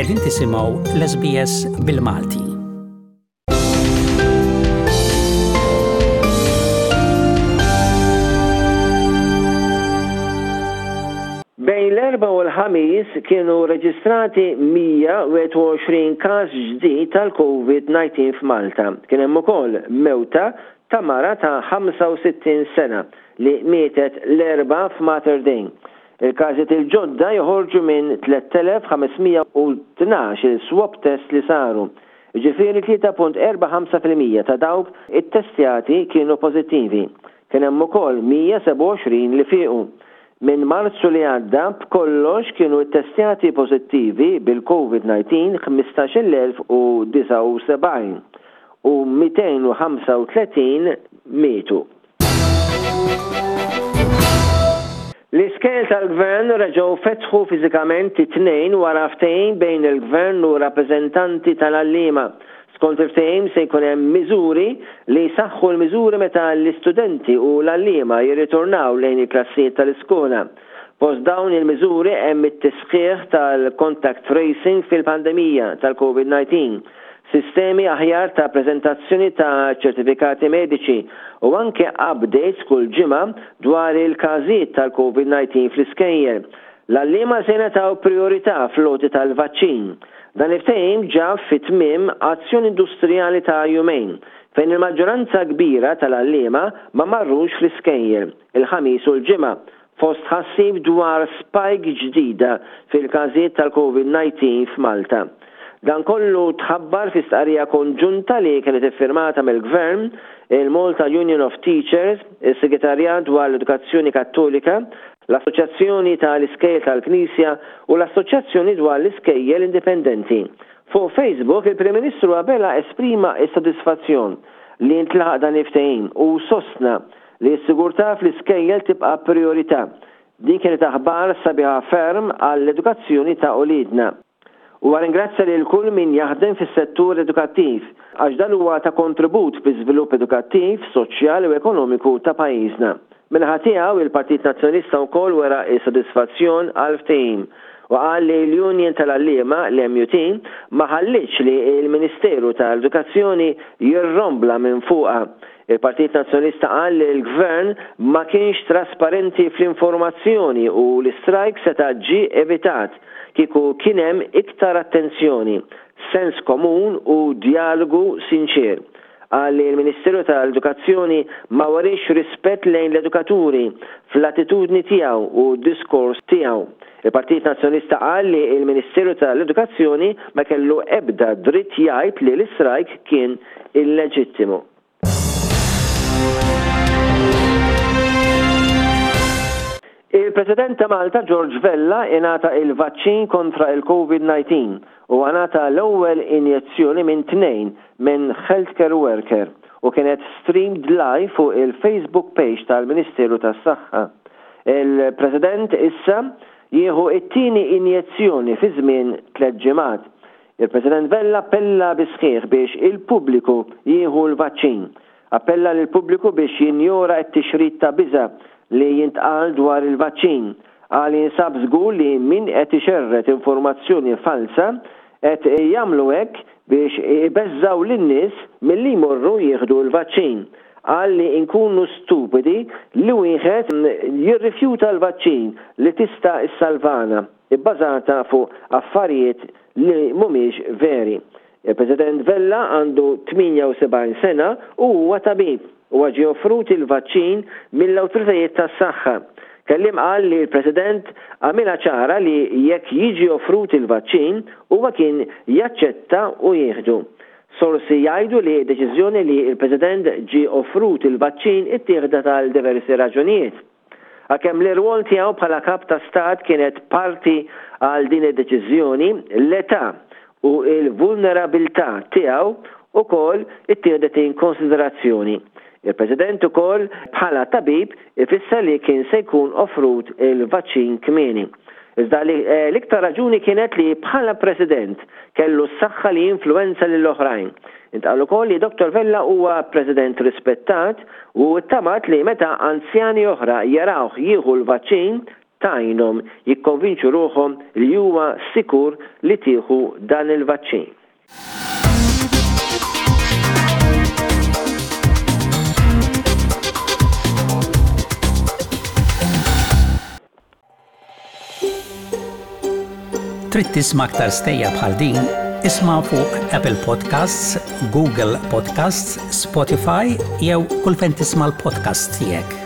Qegħdin tisimgħu l-SBS bil-Malti. Bejn l-Erbgħa u l-Ħamis kienu reġistrati 121 każ ġdid tal-Covid-19 f'Malta. Kien hemm ukoll mewta ta' mara ta' 65 sena li mietet l-Erbgħa f'Mater Dei. Il-każijiet il-ġodda joħorġu minn 3,512 il-swab test li saru. Jiġifieri 3.45% ta' dawk ittestjati kienu pożittivi. Kien hemm ukoll 127 li fiequ. Minn Marzu li għadda, b'kollox kienu ttestjati pożittivi bil-Covid-19 15,079 u 235 mietu. L-iskejjel tal-Gvern reġgħu fetħu fiżikament it-Tnejn wara ftehim bejn il-Gvern u rappreżentanti tal-għalliema. Skont il-ftehim se jkun hemm miżuri li jsaħħu l-miżuri meta l-istudenti u l-għalliema jirritornaw lejn il-klassijiet tal-iskola. Fost dawn il-miżuri hemm it-tisħiħ tal-contact tracing fil-pandemija tal-Covid-19, sistemi aħjar ta' preżentazzjoni ta' ċertifikati mediċi u anke updates kull ġimgħa dwar il-każijiet tal-Covid-19 fl-iskejjel. L-għalliema se jingħataw prijorità fl-għoti tal-vaċċin. Dan il-ftehim ġab fi tmiem azzjoni industrijali ta' jumejn, fejn il-maġġoranza kbira tal-għalliema ma marrux fl-iskejjel il-Ħamis u l-Ġimgħa fost tħassib dwar spike ġdida fil-każijiet tal-Covid-19 f'Malta. Dan kollu tħabbar fi stqarrija konġunta li kienet iffirmata mill-Gvern, il-Malta Union of Teachers, is-Segretarjat dwar l-Edukazzjoni Kattolika, l-Assoċjazzjoni tal-Iskejjel tal-Knisja u l-Assoċjazzjoni dwar l-Iskejjel Indipendenti. Fuq Facebook, il-Prim Ministru Abela esprima s-sodisfazzjon li ntlaħaq dan il-ftehim u sostna Li s-sigurtà fl-iskejjel tibqa' prijorità. Din kienet aħbar sabiħa ferm għall-edukazzjoni ta' uliedna. Huwa ringrazzja lil kull min jaħdem fis-settur edukattiv għax dan huwa ta' kontribut fl-iżvilupp edukattiv, soċjali u ekonomiku ta' pajjiżna. Min-naħa tiegħu, il-Partit Nazzjonalista wkoll wera s-sodisfazzjon għall-ftehim u qal li l-Union tal-Għalliema, l-MUT, ma ħallietx li l-Ministeru tal-Edukazzjoni jirrombla minn fuqha. Il-Partit Nazzjonalista qal li l-Gvern ma kienx trasparenti fl-informazzjoni u l-istrajk seta' ġie evitat kieku kien hemm iktar attenzjoni, sens komun u djalogu sinċier. Qal li l-Ministeru tal-Edukazzjoni ma weriex rispett lejn l-edukaturi fl-attitudni tiegħu u d-diskors tiegħu. Il-Partit Nazzjonalista qal li l-Ministeru tal-Edukazzjoni ma kellu ebda dritt jgħid li l-istrajk kien illeġittimu. Il-President ta' Malta George Vella ingħata il-vaċċin kontra il-Covid-19. Huwa ngħata l-ewwel injezzjoni minn tnejn minn healthcare worker u kienet streamed live fuq il-Facebook page tal-Ministeru tas-Saħħa. Il-President issa jieħu t-tieni injezzjoni fi żmien tlett ġimgħat. Il-President Vella appella bis-sħiħ biex il-pubbliku jieħu l-vaċċin. Appella lill-pubbliku biex jinjora t-tixrid ta' biża' li jintqal dwar il-vaċċin. Qal li jinsab żgur li min qed ixerred informazzjoni falza qed jagħmlu hekk biex ibeżżgħu lin-nies milli jmorru jieħdu l-vaċċin. Qal li nkunu stupidi li wieħed jirrifjuta l-vaċċin li tista' ssalvana. ibbażata fuq affarijiet li mhumiex veri. Il-President Vella għandu 78 sena u huwa tabib. Huwa ġie offrut il-vaċċin mill-awtoritajiet tas-saħħa. Kelliem qal li l-President għamilha ċara li jekk jiġi offrut il-vaċċin, huwa kien jaċċetta u jieħdu. Sorsi jgħidu li d-deċiżjoni li l-President ġie offrut il-vaċċin ittieħdet għal diversi raġunijiet. Għalkemm l-irwol tiegħu bħala Kap ta' Stat kienet parti għal din id-deċiżjoni, l-età u l-vulnerabilità tiegħu wkoll ittieħdet in konsiderazzjoni. Il-President ukoll bħala tabib ifisser li kien se jkun offrut il-vaċċin kmieni. Iżda l-iktar raġuni kienet li bħala President kellu s-saħħa li jinfluwenza lill-oħrajn. Intqal ukoll li Dottor Vella huwa President rispettat u ttamat li meta anzjani oħra jarawh jieħu l-vaċċin, tgħinhom jikkonvinċu ruħhom li huwa sikur li tieħu dan il-vaċċin. Trid tisma' aktar stejjer bħal din? Isma' fuq Apple Podcasts, Google Podcasts, Spotify jew kull fejn tisma' l-podcasts tiegħek.